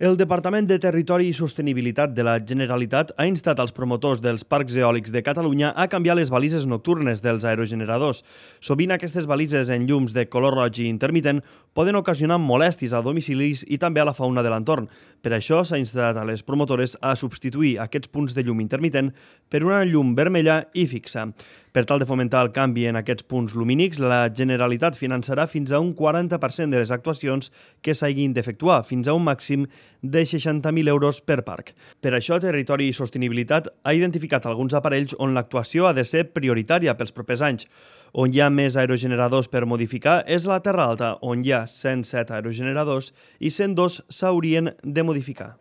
El Departament de Territori i Sostenibilitat de la Generalitat ha instat als promotors dels parcs eòlics de Catalunya a canviar les balises nocturnes dels aerogeneradors. Sovint aquestes balises en llums de color roig i intermitent poden ocasionar molèsties a domicilis i també a la fauna de l'entorn. Per això s'ha instat a les promotores a substituir aquests punts de llum intermitent per una llum vermella i fixa. Per tal de fomentar el canvi en aquests punts lumínics, la Generalitat finançarà fins a un 40% de les actuacions que s'hagin d'efectuar, fins a un màxim de 60.000 euros per parc. Per això, Territori i Sostenibilitat ha identificat alguns aparells on l'actuació ha de ser prioritària pels propers anys. On hi ha més aerogeneradors per modificar és la Terra Alta, on hi ha 107 aerogeneradors i 102 s'haurien de modificar.